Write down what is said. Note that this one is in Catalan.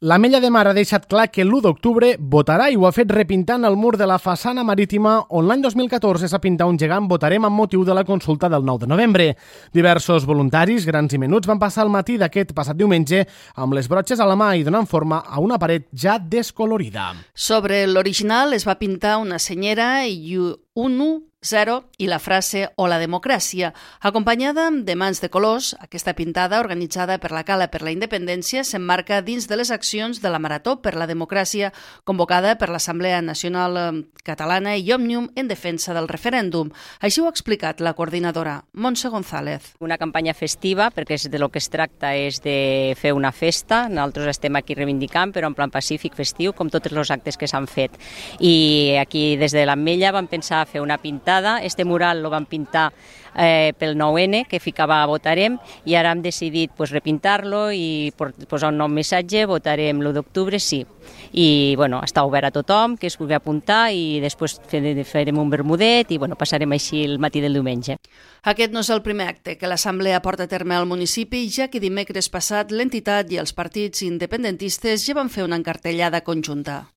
L'Ametlla de Mar ha deixat clar que l'1 d'octubre votarà i ho ha fet repintant el mur de la façana marítima on l'any 2014 s'ha pintat un gegant Votarem amb motiu de la consulta del 9 de novembre. Diversos voluntaris, grans i menuts, van passar el matí d'aquest passat diumenge amb les brotxes a la mà i donant forma a una paret ja descolorida. Sobre l'original es va pintar una senyera i un 0 i la frase «O la democràcia», acompanyada de mans de colors. Aquesta pintada, organitzada per la Cala per la Independència, s'emmarca dins de les accions de la Marató per la Democràcia, convocada per l'Assemblea Nacional Catalana i Òmnium en defensa del referèndum. Així ho ha explicat la coordinadora, Montse González. Una campanya festiva, perquè de lo que es tracta és de fer una festa. Nosaltres estem aquí reivindicant, però en plan pacífic, festiu, com tots els actes que s'han fet. I aquí, des de l'Ametlla, vam pensar fer una pintada. Este mural lo van pintar pel 9N, que ficava Votarem, i ara hem decidit repintar-lo i posar un nou missatge, Votarem l'1 d'octubre, sí. I està obert a tothom que es vulgui apuntar i després farem un bermudet i passarem així el matí del diumenge. Aquest no és el primer acte que l'Assemblea porta a terme al municipi, ja que dimecres passat l'entitat i els partits independentistes ja van fer una encartellada conjunta.